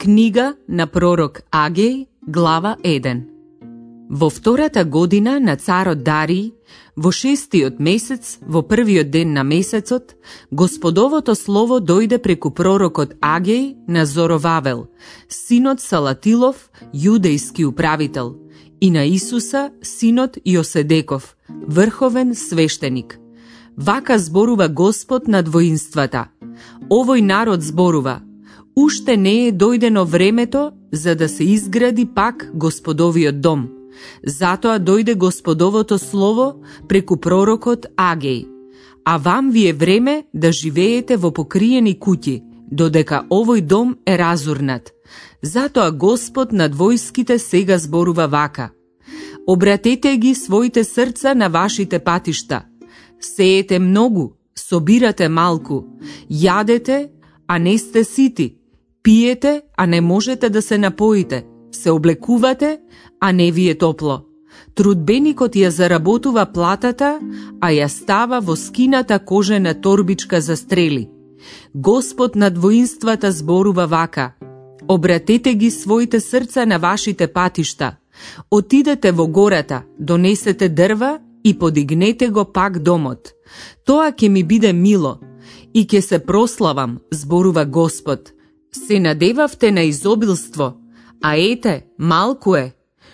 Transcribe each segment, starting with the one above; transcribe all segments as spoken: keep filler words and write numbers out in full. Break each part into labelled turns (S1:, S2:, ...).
S1: Книга на пророк Агеј, глава еден. Во втората година на царот Дариј, во шестиот месец, во првиот ден на месецот, Господовото слово дојде преку пророкот Агеј на Зоровавел, синот Салатилов, јудејски управител, и на Исуса, синот Јоседеков, врховен свештеник. Вака зборува Господ над воинствата. Овој народ зборува: уште не е дојдено времето за да се изгради пак Господовиот дом. Затоа дојде Господовото слово преку пророкот Агеј. А вам ви е време да живеете во покриени куќи, додека овој дом е разурнат. Затоа Господ над војските сега зборува вака: обратете ги своите срца на вашите патишта. Сеете многу, собирате малку, јадете, а не сте сити, пиете, а не можете да се напоите, се облекувате, а не ви е топло. Трудбеникот ја заработува платата, а ја става во скината кожена торбичка за стрели. Господ над воинствата зборува вака: обратете ги своите срца на вашите патишта. Отидете во гората, донесете дрва и подигнете го пак домот. Тоа ќе ми биде мило и ќе се прославам, зборува Господ. Се надевавте на изобилство, а ете, малку е.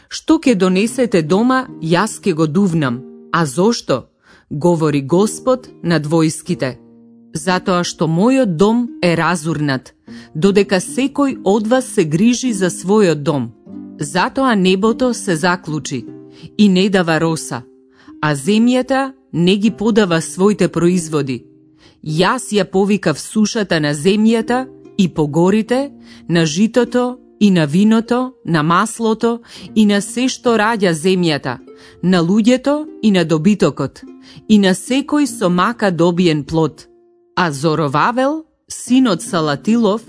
S1: Што ќе донесете дома, јас ќе го дувнам. А зошто? Говори Господ над војските. Затоа што мојот дом е разурнат, додека секој од вас се грижи за својот дом. Затоа небото се заклучи и не дава роса, а земјата не ги подава своите производи. Јас ја повикав сушата на земјата и по горите, на житото и на виното, на маслото и на се што раѓа земјата, на луѓето и на добитокот, и на секој со мака добиен плод. А Зоровавел, синот Салатилов,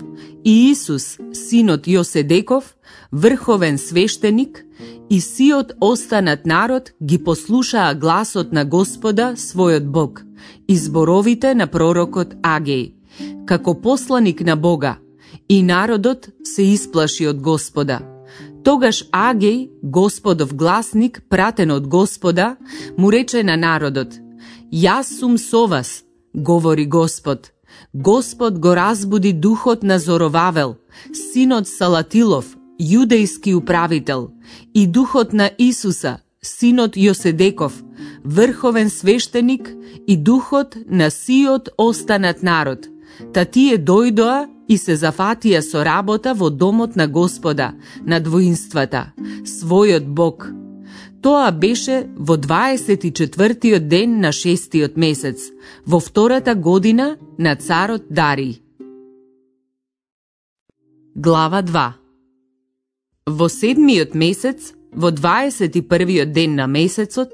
S1: и Исус, синот Јоседеков, врховен свештеник, и сиот останат народ ги послушаа гласот на Господа, својот Бог, и зборовите на пророкот Агеј, како посланик на Бога, и народот се исплаши од Господа. Тогаш Агеј, Господов гласник, пратен од Господа, му рече на народот: јас сум со вас, говори Господ. Господ го разбуди духот на Зоровавел, синот Салатилов, јудејски управител, и духот на Исуса, синот Јоседеков, врховен свештеник, и духот на сиот останат народ. Та тие дојдоа и се зафатија со работа во домот на Господа, над воинствата, својот Бог. Тоа беше во дваесет и четвртиот ден на шестиот месец, во втората година на царот Дариј. Глава два. Во седмиот месец, во дваесет и првиот ден на месецот,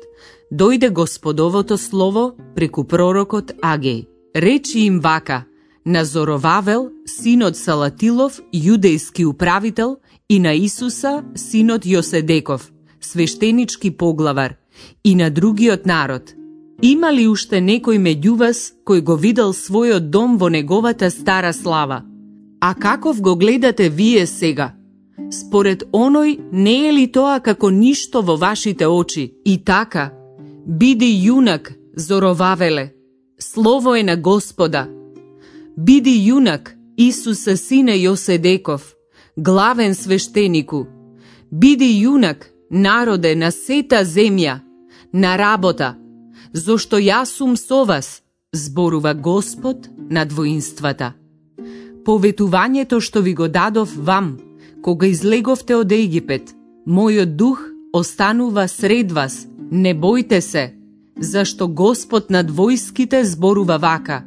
S1: дојде Господовото слово преку пророкот Агеј. Речи им вака на Зоровавел, синот Салатилов, јудејски управител, и на Исуса, синот Јоседеков, свештенички поглавар, и на другиот народ: има ли уште некој меѓу вас кој го видел својот дом во неговата стара слава? А каков го гледате вие сега? Според оној, не е ли тоа како ништо во вашите очи? И така, биди јунак, Зоровавеле, слово е на Господа. Биди јунак, Исусе сине Јоседеков, главен свештенику. Биди јунак, народе на сета земја, на работа, зошто јас сум со вас, зборува Господ над воинствата. Поветувањето што ви го дадов вам, кога излеговте од Египет, мојот дух останува сред вас, не бојте се, зашто Господ над војските зборува вака: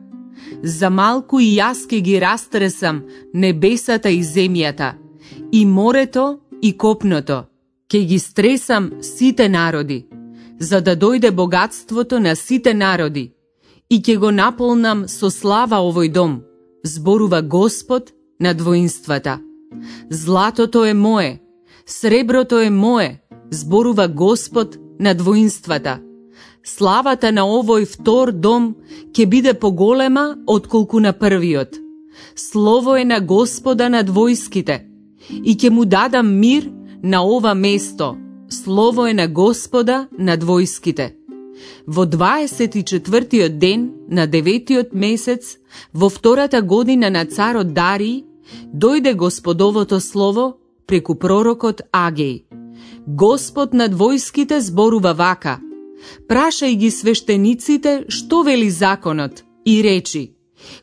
S1: за малку и јас ке ги растресам небесата и земјата, и морето и копното, ке ги стресам сите народи, за да дојде богатството на сите народи, и ке го наполнам со слава овој дом, зборува Господ над воинствата. Златото е мое, среброто е мое, зборува Господ над воинствата. Славата на овој втор дом ќе биде поголема отколку на првиот. Слово е на Господа над војските, и ќе му дадам мир на ова место. Слово е на Господа над војските. Во дваесет и четвртиот ден на деветиот месец, во втората година на царот Дариј, дојде Господовото слово преку пророкот Агеј. Господ над војските зборува вака: прашај ги свештениците што вели законот и речи: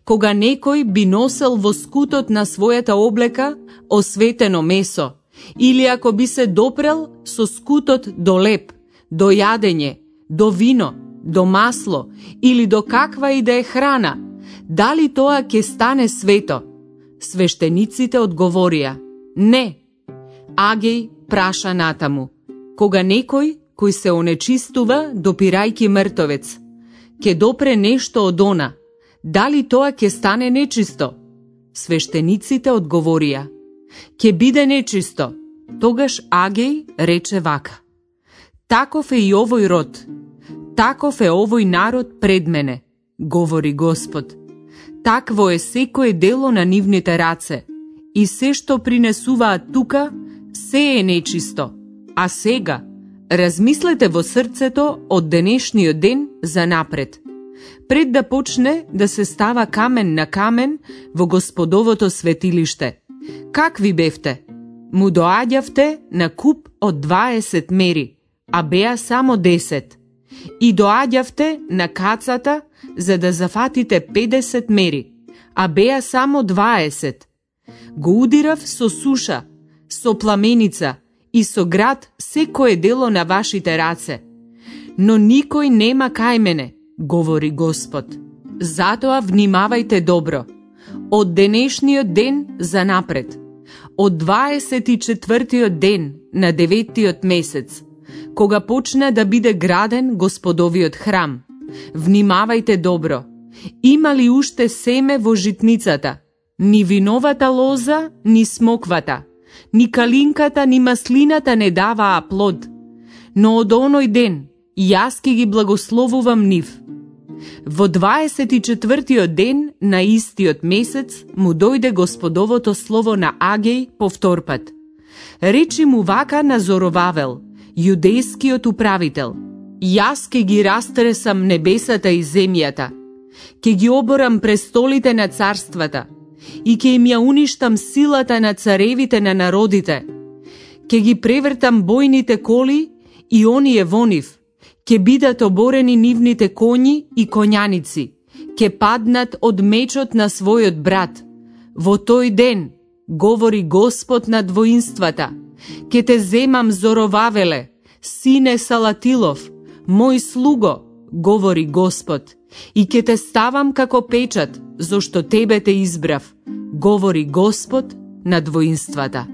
S1: кога некој би носел во скутот на својата облека осветено месо, или ако би се допрел со скутот до леп, до јадење, до вино, до масло или до каква и да е храна, дали тоа ќе стане свето? Свештениците одговорија: не. Агеј праша натаму: кога некој кој се онечистува допирајки мртовец, ќе допре нешто од она, дали тоа ќе стане нечисто? Свештениците одговорија: ќе биде нечисто. Тогаш Агеј рече вака: таков е и овој род, таков е овој народ пред мене, говори Господ. Такво е секое дело на нивните раце, и се што принесуваат тука, се е нечисто. А сега, размислете во срцето од денешниот ден за напред, пред да почне да се става камен на камен во Господовото светилиште. Какви бевте? Му доаѓавте на куп од дваесет мери, а беа само десет. И доаѓавте на кацата за да зафатите педесет мери, а беа само дваесет. Го удирав со суша, со пламеница и со град секое дело на вашите раце. Но никој нема кај мене, говори Господ. Затоа внимавајте добро. Од денешниот ден за напред, од дваесет и четвртиот ден на деветиот месец, кога почне да биде граден Господовиот храм, внимавајте добро. Има ли уште семе во житницата? Ни виновата лоза, ни смоквата, ни калинката, ни маслината не даваа плод. Но од оној ден јас ќе ги благословувам нив. Во дваесет и четвртиот ден на истиот месец му дојде Господовото слово на Агеј повтор пат. Речи му вака на Зоровавел, јудејскиот управител: јас ќе ги растресам небесата и земјата, ќе ги оборам престолите на царствата и ќе им ја уништам силата на царевите на народите. Ќе ги превртам бојните коли и оние во нив, ќе бидат оборени нивните коњи и коњаници, ќе паднат од мечот на својот брат. Во тој ден, говори Господ над воинствата, ќе те земам, Зоровавеле, сине Салатилов, мој слуго, говори Господ, и ќе те ставам како печат, зошто тебе те избрав, говори Господ над воинствата.